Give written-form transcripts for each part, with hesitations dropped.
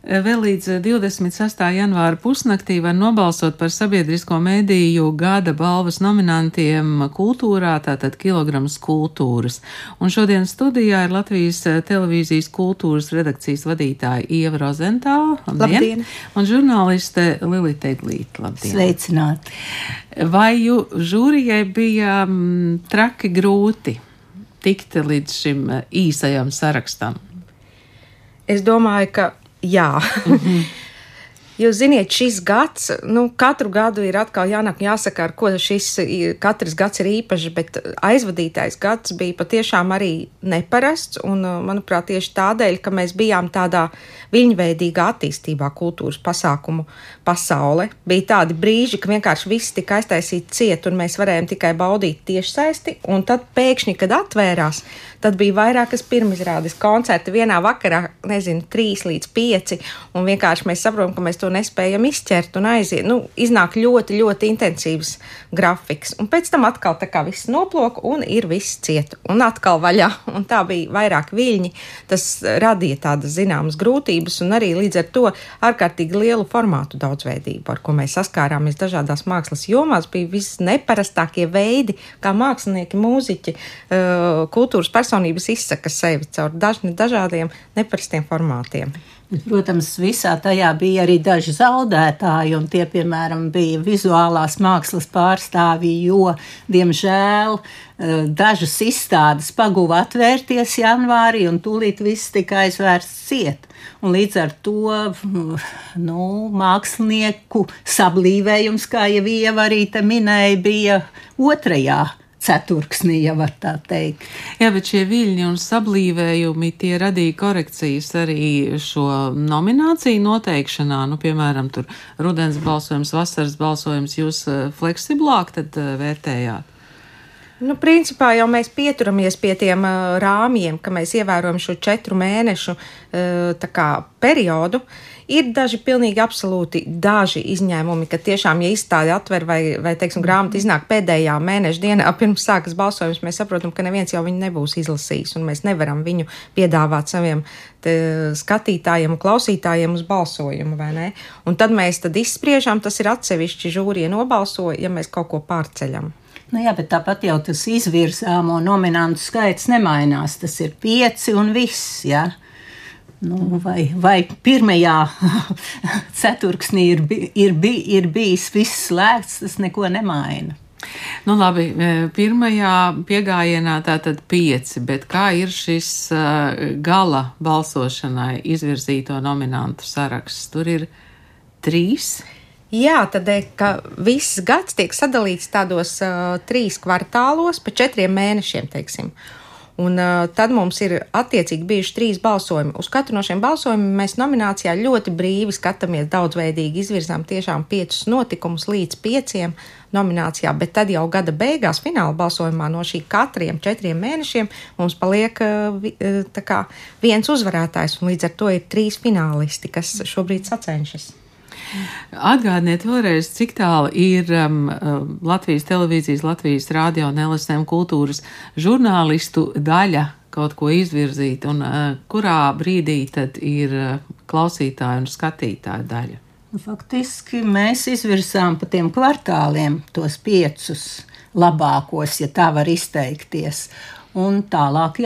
Vēl līdz 26. janvāra pusnaktī var nobalsot par sabiedrisko mediju gada balvas nominantiem kultūrā, tātad kilograms kultūras. Un šodien studijā ir Latvijas televīzijas kultūras redakcijas vadītāja Ieva Rozentāla. Labdien! Un žurnāliste Lilita Eglīte. Labdien! Sveicināti! Vai žūrijai bija traki grūti tikt līdz šim īsajam sarakstam? Es domāju, ka jā. Jūs ziniet, šis gads, katru gadu ir atkal jānāk jāsaka, ar ko katrs gads ir īpašs, bet aizvadītais gads bija patiešām arī neparasts, un, manuprāt, tieši tādēļ, ka mēs bijām tādā viļņveidīgā attīstībā kultūras pasākumu pasaule. Bija tādi brīži, ka vienkārši viss tika aiztaisīti ciet, un mēs varējām tikai baudīt tiešsaisti, un tad pēkšņi, kad atvērās, tad bija vairākas pirmizrādes koncerti vienā vakarā, 3 līdz 5, un vienkārši mēs saprotam, ka mēs to nespējam izķert un aiziet. Iznāk ļoti, ļoti intensīvs grafiks, un pēc tam atkal tā kā viss noplok, un ir viss ciet, un atkal vaļā, un tā bija vairāk viļņi. Tas radīja tādas zināmas grūtības, un arī līdz ar to ārkārtīgi lielu formātu daudzveidību, ar ko mēs saskārāmies dažādās mākslas jomās. Bija visneparastākie veidi, kā mākslinieki, mūziķi, kultūras personības izsaka sevi caur dažādiem neparastiem formātiem. Protams, visā tajā bija arī daži zaudētāji, un tie, piemēram, bija vizuālās mākslas pārstāvji, jo, diemžēl, dažas izstādes paguva atvērties janvārī, un tūlīt viss tika aizvērsts ciet. Un līdz ar to, mākslinieku sablīvējums, kā jau Ieva arī te minēja, bija otrajā ceturksnī, ja var tā teikt. Jā, bet šie viļņi un sablīvējumi, tie radīja korekcijas arī šo nomināciju noteikšanā. Piemēram, tur rudens balsojums, vasaras balsojums, jūs fleksiblāk tad vērtējāt? Principā jau mēs pieturamies pie tiem rāmjiem, ka mēs ievērojam šo 4 mēnešu periodu. Ir daži pilnīgi absolūti daži izņēmumi, ka tiešām, ja izstāde atver vai teiksim, grāmata iznāk pēdējā mēneša dienā pirms sākas balsojums, mēs saprotam, ka neviens jau viņu nebūs izlasījis, un mēs nevaram viņu piedāvāt saviem skatītājiem un klausītājiem uz balsojumu, vai ne? Un tad mēs izspriežam, tas ir atsevišķi žūrija nobalso, ja mēs kaut ko pārceļam. Jā, bet tāpat jau tas izvirzāmo nominantu skaits nemainās, tas ir 5 un viss, jā. Vai pirmajā ceturksnī ir bijis viss slēgts, tas neko nemaina. Labi, pirmajā piegājienā tātad 5, bet kā ir šis gala balsošanai izvirzīto nominantu saraksts? Tur ir 3. Jā, tādēļ, ka viss gads tiek sadalīts tādos 3 kvartālos pa 4 mēnešiem, teiksim. Un tad mums ir attiecīgi bijuši 3 balsojumi. Uz katru no šiem balsojumiem mēs nominācijā ļoti brīvi skatāmies, daudzveidīgi izvirzām tiešām 5 notikumus līdz 5 nominācijā, bet tad jau gada beigās fināla balsojumā no šī katriem 4 mēnešiem mums paliek viens uzvarētājs, un līdz ar to ir 3 finālisti, kas šobrīd sacenšas. Atgādiniet vēlreiz, cik tālu ir Latvijas televīzijas, Latvijas radio un LSM kultūras žurnālistu daļa kaut ko izvirzīt, un kurā brīdī tad ir klausītāju un skatītāju daļa? Faktiski mēs izvirzām pa tiem kvartāliem tos 5 labākos, ja tā var izteikties, un tālāk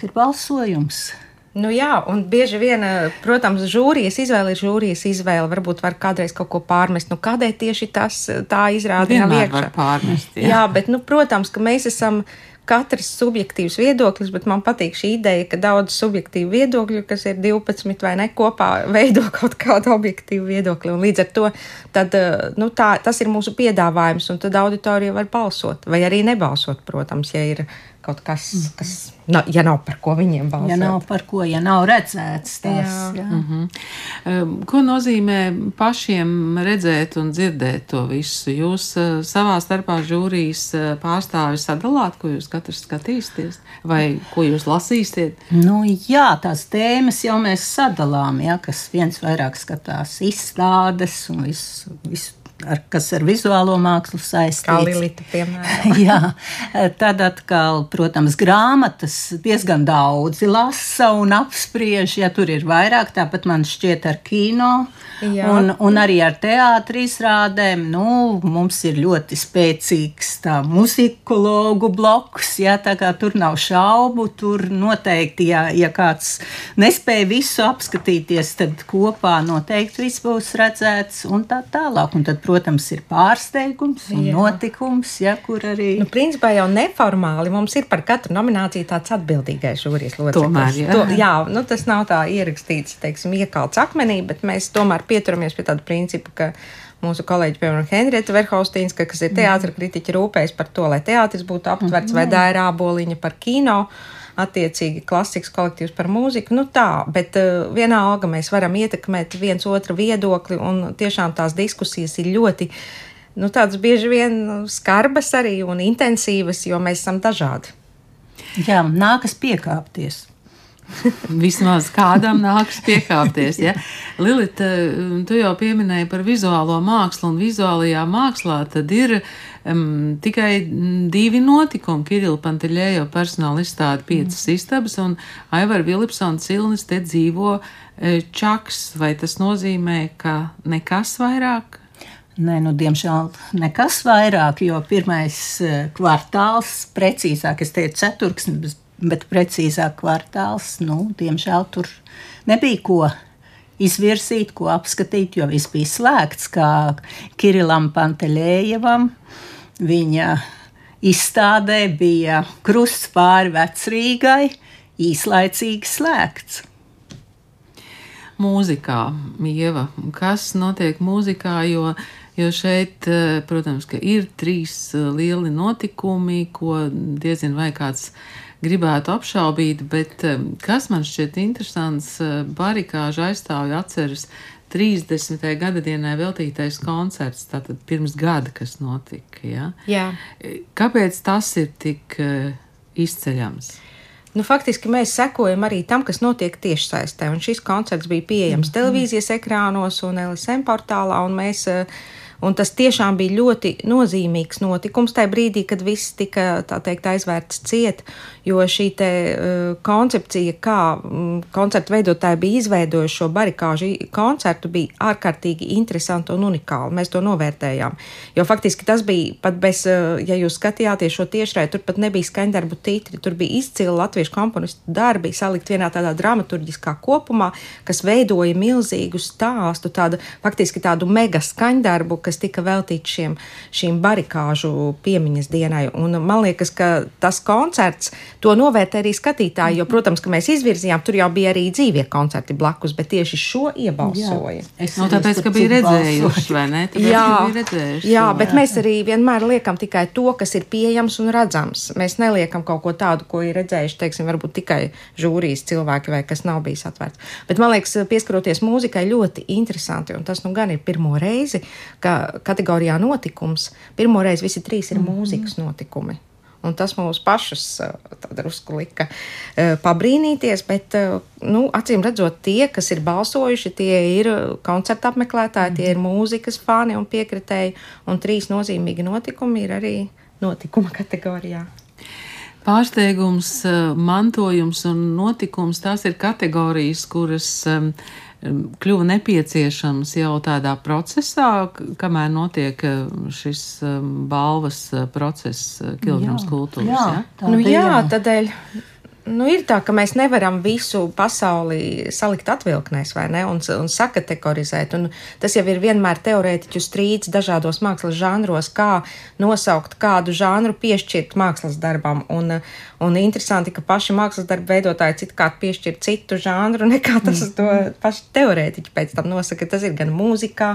ir balsojums. Jā, un bieži vien, protams, žūrijas izvēle ir žūrijas izvēle. Varbūt var kādreiz kaut ko pārmest. Kādēļ tieši tā izrāda nav iekšā? Var pārmest, jā, bet, protams, ka mēs esam katrs subjektīvs viedoklis, bet man patīk šī ideja, ka daudz subjektīvu viedokļu, kas ir 12 vai ne, kopā veido kaut kādu objektīvu viedokli. Un līdz ar to tad, tas ir mūsu piedāvājums, un tad auditorija var balsot. Vai arī nebalsot, protams, ja ir kaut kas, ja nav par ko viņiem balsot. Ja nav par ko, ja nav redzēts tas. Jā. Ko nozīmē pašiem redzēt un dzirdēt to visu? Jūs savā starpā žūrijas pārstāvi sadalāt, ko jūs katrs skatīsieties? Vai ko jūs lasīsiet? Jā, tās tēmas jau mēs sadalām, kas viens vairāk skatās izstādes un visu kas ar vizuālo mākslu saistīts. Kā Lilita, piemēram. Jā, tad atkal, protams, grāmatas diezgan daudzi lasa un apspriež, ja tur ir vairāk, tāpat man šķiet ar kino un arī ar teātri izrādēm. Nu, mums ir ļoti spēcīgs tā muzikologu bloks, ja, tā kā tur nav šaubu, tur noteikti, ja kāds nespēja visu apskatīties, tad kopā noteikti viss būs redzēts un tā tālāk. Un tad, protams, ir pārsteigums un notikums, ja, kur arī... Nu, principā jau neformāli mums ir par katru nomināciju tāds atbildīgais žūrijas loceklis. Tomēr, jā. Nu, tas nav tā ierakstīts, teiksim, iekalts akmenī, bet mēs tomēr pieturamies pie tāda principa, ka mūsu kolēģi, piemēram, Henrieta Verhaustīnska, kas ir teātra kritiķa, rūpējas par to, lai teātris būtu aptverts, vai Daira Āboliņa par kino, attiecīgi klasikas kolektīvs par mūziku, nu tā, bet vienalga mēs varam ietekmēt viens otru viedokli, un tiešām tās diskusijas ir ļoti, nu tādas bieži vien skarbas arī un intensīvas, jo mēs esam dažādi. Jā, nākas piekāpties. Vismaz kādam nāks piekāpties. Ja? Lilita, tu jau pieminēji par vizuālo mākslu, un vizuālajā mākslā tad ir tikai 2 notikumi. Kirila Panteļējo personāla izstāde 5 istabas, un Aivar Vilipsona Cilnis te dzīvo čaks. Vai tas nozīmē, ka nekas vairāk? Nē, nu, diemžēl nekas vairāk, jo pirmais kvartāls, precīzāk, es teicu ceturksnis, bet precīzāk kvartāls, nu, diemžēl tur nebija ko izvirzīt, ko apskatīt, jo viss bija slēgts, kā Kirilam Panteļējevam. Viņa izstādē bija krusts pāri Vecrīgai, īslaicīgi slēgts. Mūzikā, Ieva, kas notiek mūzikā, jo šeit, protams, ka ir 3 lieli notikumi, ko diezin vai kāds gribētu apšaubīt, bet kas man šķiet interesants, Barikāža aizstāvja atceras 30. gadadienai veltītais koncerts, tātad pirms gada, kas notika, ja? Jā. Kāpēc tas ir tik izceļams? Nu, faktiski mēs sekojam arī tam, kas notiek tiešsaistē, un šis koncerts bija pieejams televīzijas ekrānos un LSM portālā, un tas tiešām bija ļoti nozīmīgs notikums tajā brīdī, kad viss tika, tā teikt, aizvērts ciet, jo šī te koncepcija, kā koncertu veidotāji bija izveidojuši šo Barikāžu koncertu, bija ārkārtīgi interesanti un unikāli. Mēs to novērtējām, jo faktiski tas bija pat bez, ja jūs skatījāties šo tiešrai, tur pat nebija skaņdarbu titri, tur bija izcili latviešu komponistu darbi, salikt vienā tādā dramaturģiskā kopumā, kas veidoja milzīgu stāstu, faktiski tādu mega skaņdarbu, kas tika veltīts šīm Barikāžu piemiņas dienai. Un man liekas, ka tas koncerts, to novērtē arī skatītāji, jo, protams, ka mēs izvirzījām, tur jau bija arī dzīvie koncerti blakus, bet tieši šo iebalsoja. Tāpēc, ka bija redzējuši, vai ne? Jā, bet mēs arī vienmēr liekam tikai to, kas ir pieejams un redzams. Mēs neliekam kaut ko tādu, ko ir redzējuši, teiksim, varbūt tikai žūrijas cilvēki vai kas nav bijis atvērts. Bet man liekas, pieskaroties mūzikai ļoti interesanti, un tas nu gan ir pirmo reizi, ka kategorijā notikums, pirmo reizi visi 3 ir mūzikas notikumi. Un tas mūs pašus drusku lika pabrīnīties, bet, nu, acīm redzot, tie, kas ir balsojuši, tie ir koncerta apmeklētāji, tie ir mūzikas fani un piekritēji, un 3 nozīmīgi notikumi ir arī notikuma kategorijā. Pārsteigums, mantojums un notikums, tās ir kategorijas, kuras kļuva nepieciešams jau tādā procesā, kamēr notiek šis balvas process Kilograms kultūras. Tādēļ ir tā, ka mēs nevaram visu pasauli salikt atvilknēs, vai ne, un sakategorizēt, un tas jau ir vienmēr teorētiķu strīds dažādos mākslas žanros, kā nosaukt kādu žanru piešķirt mākslas darbam, un interesanti, ka paši mākslas darbu veidotāji citkārt piešķir citu žanru, nekā tas to paši teorētiķi pēc tam nosaka. Tas ir gan mūzikā,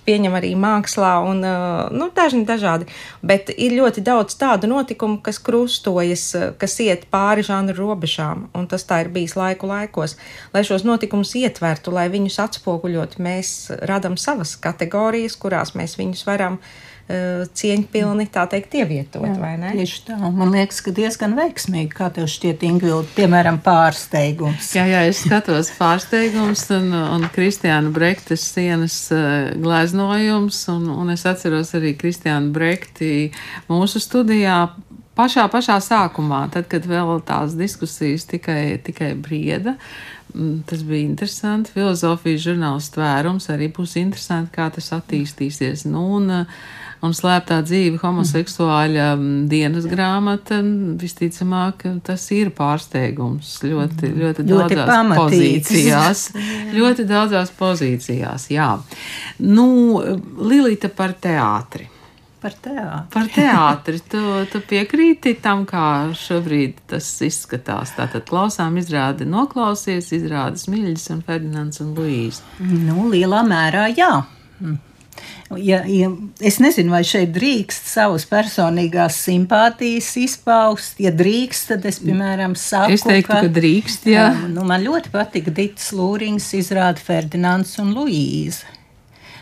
pieņem arī mākslā, un dažādi. Bet ir ļoti daudz tādu notikumu, kas krustojas, kas iet pāri žanru robežām, un tas tā ir bijis laikos, lai šos notikumus ietvertu, lai viņus atspoguļot. Mēs radam savas kategorijas, kurās mēs viņus varam cieņpilni, tā teikt, ievietot, jā, vai ne? Tieši tā. Man liekas, ka diezgan veiksmīgi, kā tev šķiet, Ingvilda, piemēram, pārsteigums. Jā, es skatos pārsteigums un Kristiāna Brektes sienas gleznojums, un es atceros arī Kristiānu Brekti mūsu studijā pašā sākumā, tad, kad vēl tās diskusijas tikai brieda. Tas bija interesanti. Filozofijas žurnāls Tvērums arī būs interesanti, kā tas attīstīsies. Un slēptā dzīve homoseksuāļa dienas grāmata, visticamāk, tas ir pārsteigums ļoti daudzās pozīcijās. Ļoti daudzās pozīcijās, jā. Lilita, par teātri. Par teātri. Tu piekrīti tam, kā šobrīd tas izskatās? Tātad klausām izrādi Noklausies, izrādi Smiļģis un Ferdinands un Luīze. Lielā mērā jā. Ja es nezinu, vai šeit drīkst savas personīgās simpātijas izpaust. Ja drīkst, tad es, piemēram, saku, es teiktu, ka drīkst, jā. Man ļoti patika Ditas Lūriņas izrāda Ferdinands un Luīze.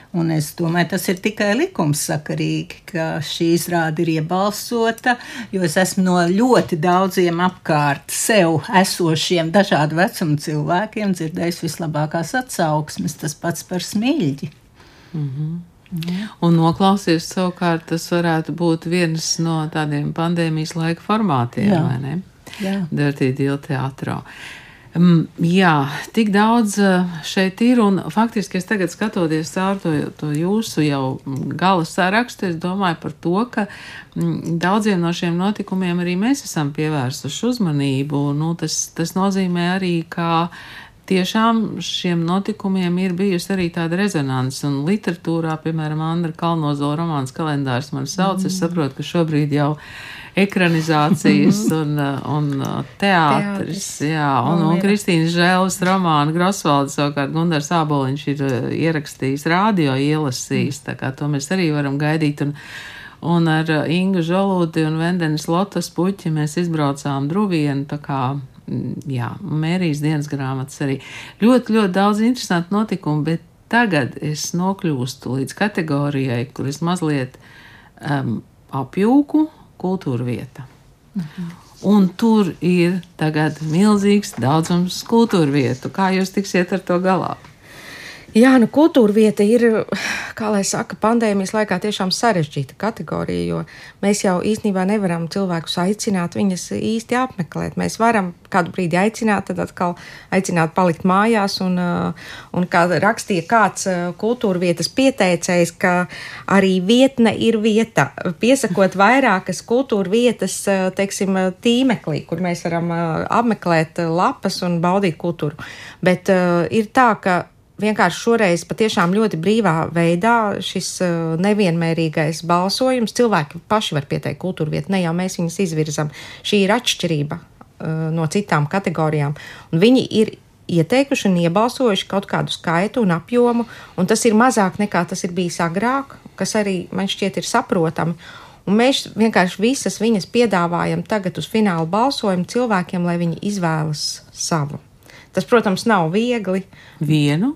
Un es domāju, tas ir tikai likumsakarīgi, ka šī izrāde ir iebalsota, jo es esmu no ļoti daudziem apkārt sev esošiem dažādu vecumu cilvēkiem dzirdējis vislabākās atsauksmes, tas pats par Smiļģi. Un Noklausies savukārt, tas varētu būt viens no tādiem pandēmijas laika formātiem, vai ne? Jā. Dirty Deal teātrā. Jā, tik daudz šeit ir, un faktiski es tagad skatoties caur to jūsu jau gala sarakstu, es domāju par to, ka daudziem no šiem notikumiem arī mēs esam pievērsuši uzmanību. Tas nozīmē arī, ka tiešām šiem notikumiem ir bijusi arī tāda rezonanse, un literatūrā, piemēram, Andra Kalnozola romāns Kalendārs man sauc, es saprotu, ka šobrīd jau ekranizācijas un teātris, jā, un Kristīnas Žēles romāna Grosvalda, savukārt Gundars Āboliņš ir ierakstījis rādio, ielasījis, tā kā to mēs arī varam gaidīt, un ar Ingu Žolūti un Vendenes Lotas puķi mēs izbraucām Druvienu, tā kā jā, Mērijas dienas grāmatas arī. Ļoti daudz interesantu notikumu, bet tagad es nokļūstu līdz kategorijai, kur es mazliet apjūku kultūra vieta. Un tur ir tagad milzīgs daudzums kultūra vietu. Kā jūs tiksiet ar to galā? Jā, kultūra vieta ir, kā lai saka, pandēmijas laikā tiešām sarežģīta kategorija, jo mēs jau īstenībā nevaram cilvēkus aicināt, viņas īsti apmeklēt. Mēs varam kādu brīdi aicināt, tad atkal aicināt palikt mājās, un kā rakstīja kāds kultūra vietas pieteicējs, ka arī vietne ir vieta, piesakot vairākas kultūra vietas, teiksim, tīmeklī, kur mēs varam apmeklēt lapas un baudīt kultūru. Bet ir tā, ka vienkārši šoreiz patiešām ļoti brīvā veidā šis nevienmērīgais balsojums, cilvēki paši var pieteikt kultūra vietu, ne jau mēs viņus izvirzam. Šī ir atšķirība no citām kategorijām, un viņi ir ieteikuši un iebalsojuši kaut kādu skaitu un apjomu, un tas ir mazāk nekā tas ir bijis agrāk, kas arī man šķiet ir saprotami. Un mēs vienkārši visas viņas piedāvājam tagad uz finālu balsojumu cilvēkiem, lai viņi izvēlas savu. Tas, protams, nav viegli. Vienu?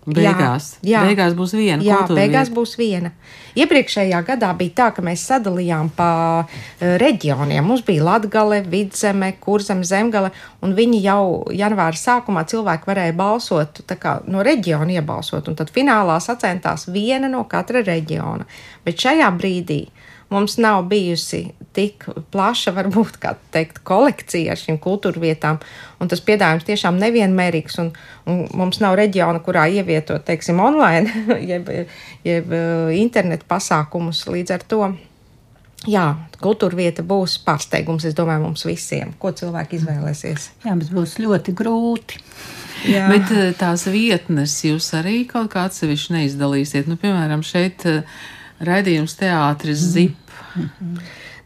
Beigās. Jā. Beigās būs viena. Jā, beigās būs viena. Iepriekšējā gadā bija tā, ka mēs sadalījām pa reģioniem. Mums bija Latgale, Vidzeme, Kurzeme, Zemgale, un viņi jau janvāra sākumā cilvēki varēja balsot, tā kā no reģiona iebalsot, un tad finālā sacentās viena no katra reģiona. Bet šajā brīdī mums nav bijusi tik plaša, varbūt, kā teikt, kolekcija ar šīm kultūra vietām, un tas piedāvājums tiešām nevienmērīgs, un mums nav reģiona, kurā ievietot, teiksim, online, jeb internetu pasākumus. Līdz ar to, jā, kultūra vieta būs pārsteigums, es domāju, mums visiem, ko cilvēki izvēlēsies. Jā, bet būs ļoti grūti. Jā. Bet tās vietnes jūs arī kaut kā atsevišķi neizdalīsiet. Piemēram, šeit raidījums teātris ZIP.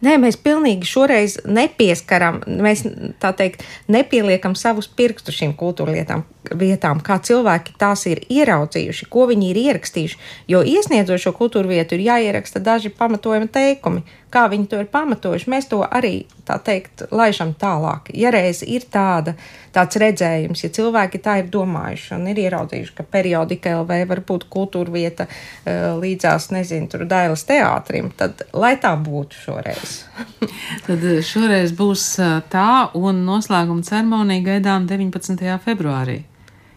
Nē, mēs pilnīgi šoreiz nepieskaram, mēs tā teikt nepieliekam savus pirkstus šīm kultūra lietām. vietām, kā cilvēki tās ir ieraudzījuši, ko viņi ir ierakstījuši, jo iesniedzot šo kultūra vietu ir jāieraksta daži pamatojumi teikumi, kā viņi to ir pamatojuši. Mēs to arī, tā teikt, laižam tālāk. Ja reiz ir tāds redzējums, ja cilvēki tā ir domājuši un ir ieraudzījuši, ka periodika LV var būt kultūra vieta līdzās, nezinu, tur Dailes teātrim, tad lai tā būtu šoreiz. Tad šoreiz būs tā, un noslēguma ceremonija gaidām 19. februārī.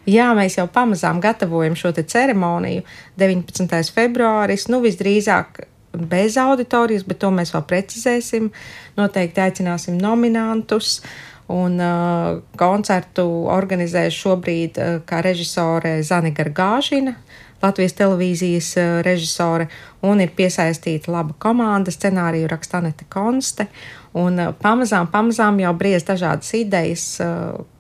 Jā, mēs jau pamazām gatavojam šo te ceremoniju. 19. februāris, visdrīzāk bez auditorijas, bet to mēs vēl precizēsim. Noteikti aicināsim nominantus, un koncertu organizēs šobrīd kā režisore Zane Gargāžina, Latvijas televīzijas režisore, un ir piesaistīta laba komanda, scenāriju raksta Anete Konste, un pamazām jau briez dažādas idejas,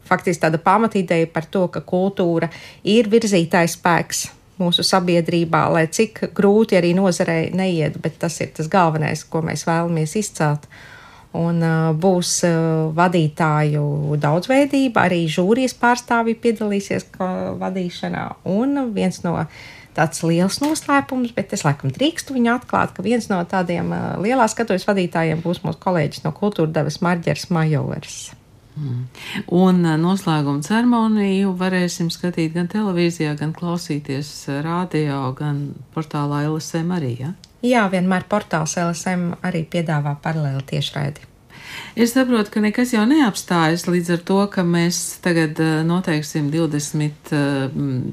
faktiski tāda pamatīdeja par to, ka kultūra ir virzītājs spēks mūsu sabiedrībā, lai cik grūti arī nozarei neiet, bet tas ir tas galvenais, ko mēs vēlamies izcelt. Un būs vadītāju daudzveidība, arī žūrijas pārstāvji piedalīsies vadīšanā, un viens no tāds liels noslēpums, bet es laikam drīkstu viņu atklāt, ka viens no tādiem lielā skatuves vadītājiem būs mūsu kolēģis no kultūra devas Marģers Majovers. Un noslēguma ceremoniju varēsim skatīt gan televīzijā, gan klausīties radio, gan portālā LSM arī, ja? Jā, vienmēr portāls LSM arī piedāvā paralēli tiešraidi. Es saprotu, ka nekas jau neapstājas līdz ar to, ka mēs tagad noteiksim 21.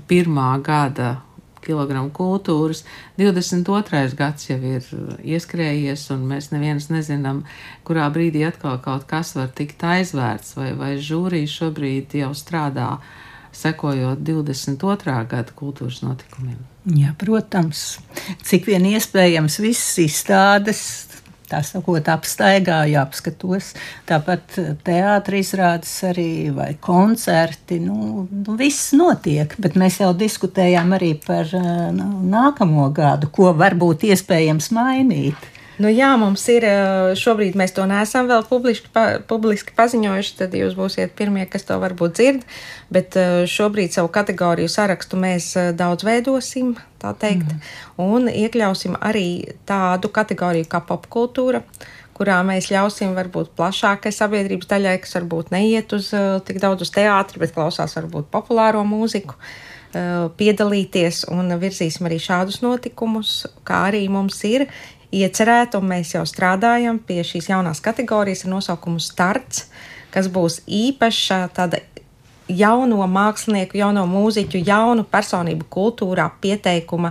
gada kilogramu kultūras, 22. gads jau ir ieskrējies, un mēs neviens nezinām, kurā brīdī atkal kaut kas var tikt aizvērts, vai žūrija šobrīd jau strādā, sekojot 22. gada kultūras notikumiem. Jā, protams, cik vien iespējams visas izstādes, tā sakot, apstaigā, jāapskatos. Tāpat teātris izrādes arī vai koncerti, viss notiek, bet mēs jau diskutējām arī par nākamo gadu, ko varbūt iespējams mainīt. Jā, mums ir, šobrīd mēs to neesam vēl publiski paziņojuši, tad jūs būsiet pirmie, kas to varbūt dzird, bet šobrīd savu kategoriju sarakstu mēs daudz veidosim, tā teikt, un iekļausim arī tādu kategoriju kā popkultūra, kurā mēs ļausim varbūt plašākai sabiedrības daļai, kas varbūt neiet tik daudz uz teātri, bet klausās varbūt populāro mūziku, piedalīties, un virzīsim arī šādus notikumus, kā arī mums ir iecerēta, un mēs jau strādājam pie šīs jaunās kategorijas ar nosaukumu Starts, kas būs īpaša tāda jauno mākslinieku, jauno mūziķu, jaunu personību kultūrā pieteikuma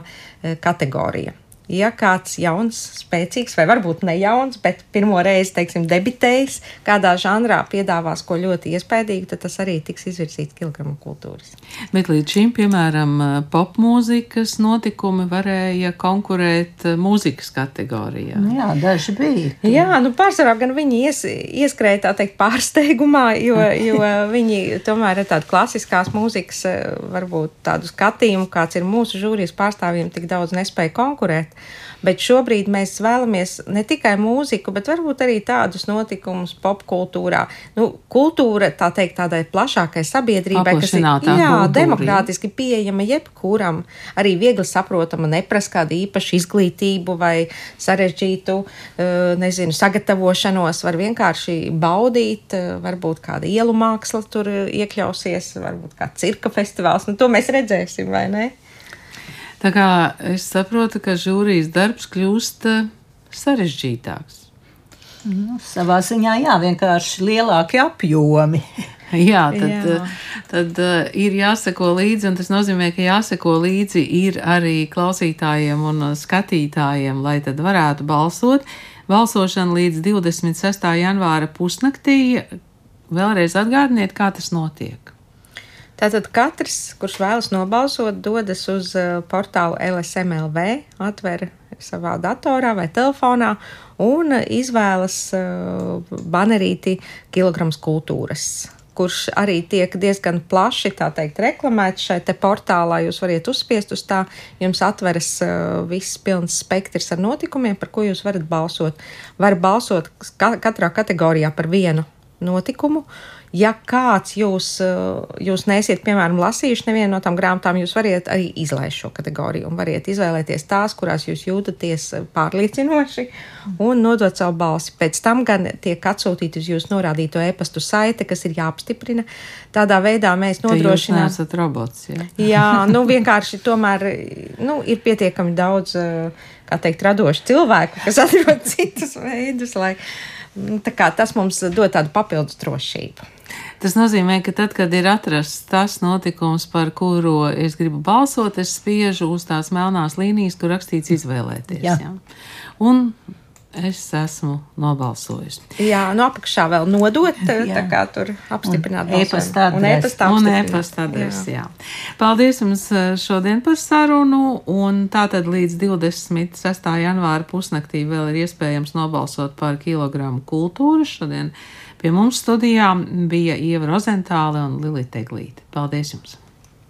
kategorija. Ja kāds jauns, spēcīgs, vai varbūt ne jauns, bet pirmo reizi, teiksim, debitējis kādā žanrā piedāvās ko ļoti iespējīgi, tad tas arī tiks izvirzīts kilogramu kultūras. Bet līdz šim, piemēram, popmūzikas notikumi varēja konkurēt mūzikas kategorijā. Jā, daži bija. Jā, pārsvarā gan viņi ieskrēja, tā teikt, pārsteigumā, jo viņi tomēr ir tāda klasiskās mūzikas, varbūt tādu skatījumu, kāds ir mūsu žūrijas pārstāvjiem, tik daudz nespēja konkurēt. Bet šobrīd mēs vēlamies ne tikai mūziku, bet varbūt arī tādus notikumus popkultūrā. Kultūra, tā teikt, tādai plašākai sabiedrībai, kas ir demokrātiski pieejama jebkuram, arī viegli saprotama, neprasa kādu īpašu izglītību vai sarežģītu, sagatavošanos, var vienkārši baudīt, varbūt kāda ielu māksla tur iekļausies, varbūt kā cirka festivāls, to mēs redzēsim, vai ne? Tā kā es saprotu, ka žūrijas darbs kļūst sarežģītāks. Savā ziņā, jā, vienkārši lielāki apjomi. Jā, tad ir jāseko līdzi, un tas nozīmē, ka jāseko līdzi ir arī klausītājiem un skatītājiem, lai tad varētu balsot. Balsošana līdz 26. janvāra pusnaktī. Vēlreiz atgādiniet, kā tas notiek. Tātad katrs, kurš vēlas nobalsot, dodas uz portālu LSM.LV, atver savā datorā vai telefonā un izvēlas banerīti kilograms kultūras, kurš arī tiek diezgan plaši, tā teikt, reklamēts šai te portālā. Jūs variet uzspiest uz tā, jums atveras viss pilns spektrs ar notikumiem, par ko jūs varat balsot. Var balsot katrā kategorijā par vienu notikumu. Ja kāds jūs neesiet, piemēram, lasījuši nevienu no tām grāmatām, jūs variet arī izlaist šo kategoriju un variet izvēlēties tās, kurās jūs jūtaties pārliecinoši un nodot savu balsi. Pēc tam gan tiek atsūtīti uz jūsu norādīto e-pastu saite, kas ir jāapstiprina. Tādā veidā mēs nodrošinām. Jūs neesat robots, jā? Jā, vienkārši tomēr, ir pietiekami daudz, kā teikt, radošu cilvēku, kas atrod citus veidus, lai tā kā tas mums dod tādu papildus drošību. Tas nozīmē, ka tad, kad ir atrasts tas notikums, par kuru es gribu balsot, es spiežu uz tās melnās līnijas, kur rakstīts izvēlēties. Jā. Jā. Un es esmu nobalsojusi. Jā, apakšā vēl nodot, tā kā tur apstiprināt balsojumu. Un e-pasta adresi, jā. Paldies jums šodien par sarunu, un tātad līdz 26. janvāra pusnaktī vēl ir iespējams nobalsot par kilogramu kultūru. Šodien pie mums studijā bija Ieva Rozentāle un Lilita Eglīte. Paldies jums!